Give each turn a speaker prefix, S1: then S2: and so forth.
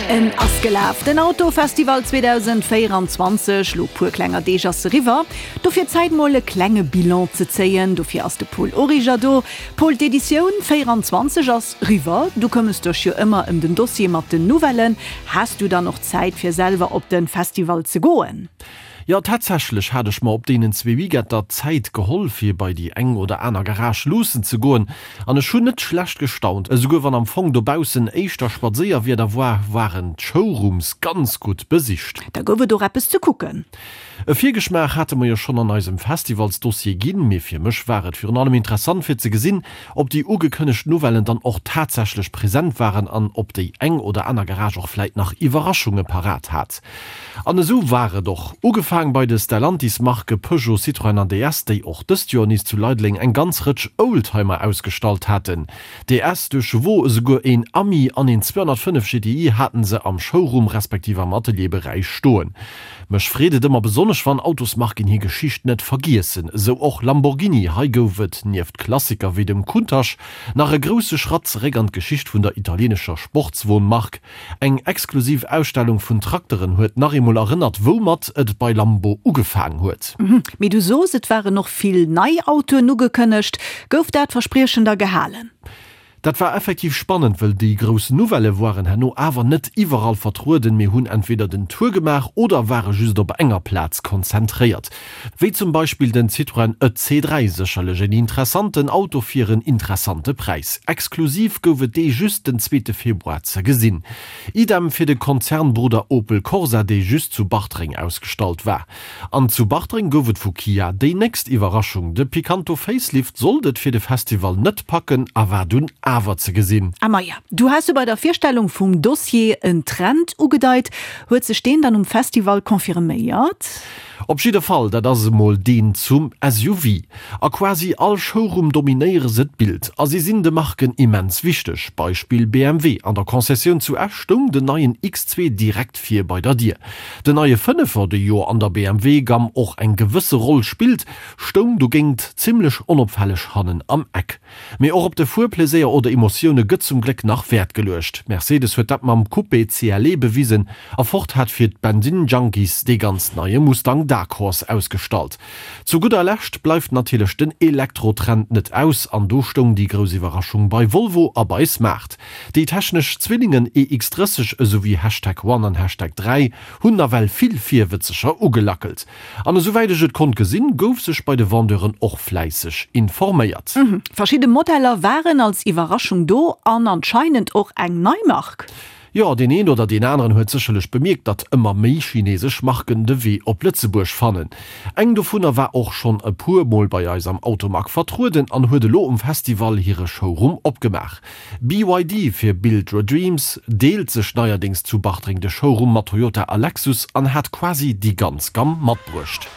S1: En ass gelaf, den Autofestival 2024. Lo puer klenger Deeg ass eriwwer. Dofir Zäit mol e klenge Bilan ze zéien. Dofir ass de Paul Origer do. Paul, d'Editioun 24 ass riwwer. Du këmmes dech jo ëmmer ëm den Dossier mat den Nouvellen. Has du dann och Zäit fir selwer op den Festival ze goen?
S2: Jo, tatsächlech hat ech mer op deenen zwee Weekender Zäit geholl fir bei déi eng oder aner Garage luussen ze goen an ech hunn net schlecht gestaunt. Esouguer wann am Fong dobaussen éischter Spadséierwieder war, waren d'Showrooms ganz gutt besicht.
S1: Da gouf et och eppes ze kucken.
S2: E Virgeschmaach hate mer jo schonn an eisem Festivalsdossier ginn, mee fir mech war et virun allem interessant fir ze gesinn, ob déi ugekënnegt Nouvellen dann och tatsächlech present waren an ob déi eng oder aner Garage och vläit nach Iwwerraschunge parat hat. An esou war et och. Ugefaang bei de Stellantis-Marke Peugeot, Citroën an DS, déi och dëst Joer nees zu Leideleng eng ganz Rëtsch Oldtimer ausgestallt haten. DS duerch Chevaux, esouguer een Ami an een 205 GTI haten se am Showroom respektiv am Atelierberäich stoen. Mech freet et ëmmer besonnesch wann Autosmarken hir Geschicht net vergiessen. Esou och Lamborghini, hei gouf et nieft Klassiker wéi dem Countach nach e grousse Schratt zeréck an d'Geschicht vun der italienescher Sportswon-Mark. Eng exklusiv Ausstellung vun Trakteren huet nach eemol erënnert, woumat et bei Lambo ugefaang huet.
S1: Mee du sos, et waren och vill nei Autoen ugekënnegt. Gouf dat Verspriechen da gehalen?
S2: Dat war effektiv spannend, wëll déi grouss Nouvellë woaren herno awer net iwwerall vertrueden, mee hunn entweder den Tour gemaach oder ware just op enger Plaz konzentréiert. Wéi zum Beispill den Citroën EC3, sécherlech en interessanten Auto fir en interessante Präis. Exklusiv gouf et dee just den zweete Februar ze gesinn. Idem fir de Konzernbrudder Opel Corsa, dee just zu Bartreng ausgestallt war. An zu Bartreng gouf et vu Kia déi nächst Iwwerraschung, De Picanto Facelift sollt et fir de Festival net packen a war dunn awer ze gesinn.
S1: A maja, du has jo bei der Virstellung vum Dossier en Trend ugedeit. Huet sech deen dann um Festival confirméiert?
S2: Op jidde Fall, dat ass emol deen zum SUV. A quasi all Showroom dominéiere se d'Bild a si sinn de Marken immens wichteg. Beispill BMW, An der Concessioun zu Esch stoung den neien X2 direkt vir bei der Dier. Den neie Fënnefer, dee jo an der BMW-Gamm och eng gewësse Roll spillt, stoung dogéint zimmlech onopfälleg hannen am Eck. Mee och op de Fuerpleséier oder Emotioune gëtt zum Gléck nach Wäert geluecht. Mercedes huet dat mam Coupé CLE bewisen a Ford hat fir d'Bensinn-Junkies dee ganz neie Mustang Dark Horse ausgestallt. Zu gudder Lescht bleift natierlech den Elektro-Trend net aus an do stoung déi grouss Iwwerraschung bei Volvo a bei Smart. Déi technesch Zwillingen EX30 esouwéi Hashtag One an Hashtag 3 hunn nawell vill Virwëtzeger ugelackelt. An esouwäit ech et konnt gesinn, gouf sech bei de Vendeuren och fläisseg informéiert.
S1: Verschidde Modeller waren als Iwwerraschung do an anscheinend och eng nei Mark.
S2: Jo, deen een oder deen aneren huet sécherlech bemierkt, datt ëmmer méi chinesesch Marken de Wee op Lëtzebuerg fannen. Eng dovunner war och schonn e puer Mol bei eis am Automag vertrueden an huet elo um Festival hire Showroom opgemaach. BYD fir Build Your Dreams deelt sech neierdéngs zu Bartreng de Showroom mat Toyota a Lexus an hat quasi déi ganz Gamm matbruecht.